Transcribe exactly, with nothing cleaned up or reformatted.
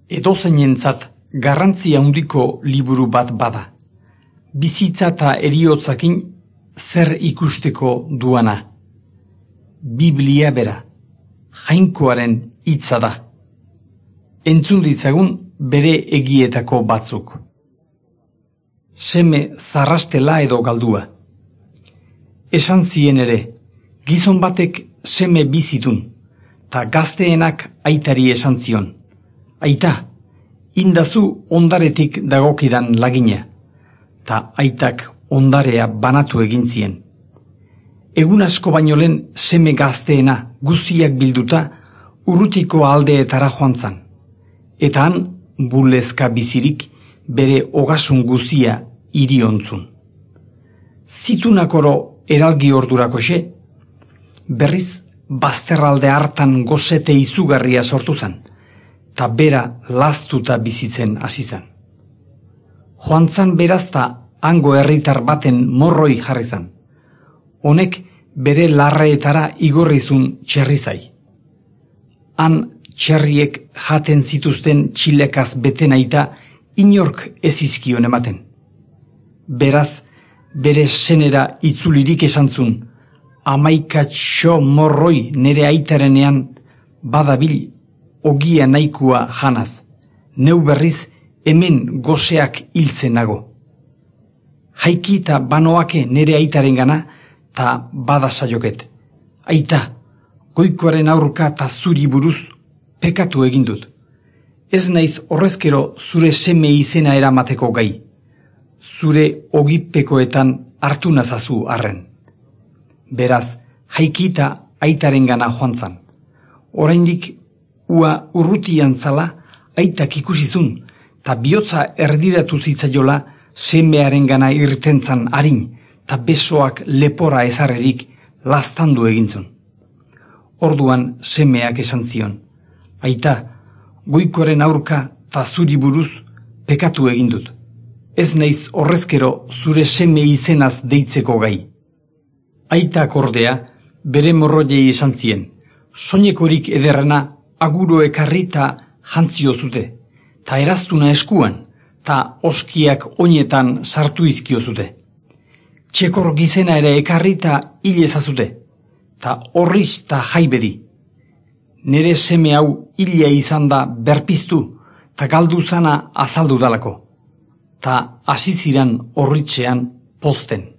Edozeinentzat garrantzia handiko liburu bat bada. Bizitza eta eriotzakin zer ikusteko duana. Biblia bera, Jainkoaren hitza da. Entzun ditzagun bere egietako batzuk. Seme zarrastela edo galdua. Esan zien ere, gizon batek seme bizitun, ta gazteenak aitari esan zion. Aita, indazu ondaretik dagokidan lagina, ta aitak ondarea banatu egin zien. Egun asko baino lehen seme gazteena guztiak bilduta urrutiko aldeetara joan zan, eta han bulezka bizirik bere ogasun guztia iriontzun. Zitunakoro eralgi ordurakoxe, berriz bazterralde hartan gozete izugarria sortu zan, ta bera laztuta bizitzen hasi zan. Joan zan berazta hango herritar baten morroi jarri zan. Honek bere larreetara igorrizun txerrizai. Han txerriek jaten zituzten txilekaz betenaita inork ez izkion ematen. Beraz, bere senera itzulirik esantzun, amaikatxo morroi nere aitarenean badabil ogia nahikua janaz, neu berriz hemen goseak hiltzen nago. Jaiki eta banoake nere aitaren gana, ta bada saioket. Aita, goikoaren aurka ta zuri buruz pekatu egin dut. Ez naiz horrezkero zure seme izena eramateko gai. Zure ogipekoetan hartu nazazu arren. Beraz, jaiki eta aitaren gana joan zan. Oraindik ua urrutian zala aitak ikusizun, ta bihotza erdiratu zitzaiola semearen gana irtentzan harin, ta besoak lepora ezarrerik laztandu egintzun. Orduan semeak esan zion, aita, goikoren aurka ta zuri buruz pekatu egin dut. Ez naiz horrezkero zure seme izenaz deitzeko gai. Aitak ordea bere morroiei esan zien, soinekorik ederrena aguro ekarri ta jantzio zute, ta eraztuna eskuan, ta oskiak oinetan sartu izkio zute. Txekor gizena ere ekarri ta hil ezazute, ta horriz ta jaibedi. Nere seme hau hila izan da berpiztu, ta galdu zana azaldu dalako, ta hasiziran horritzean pozten.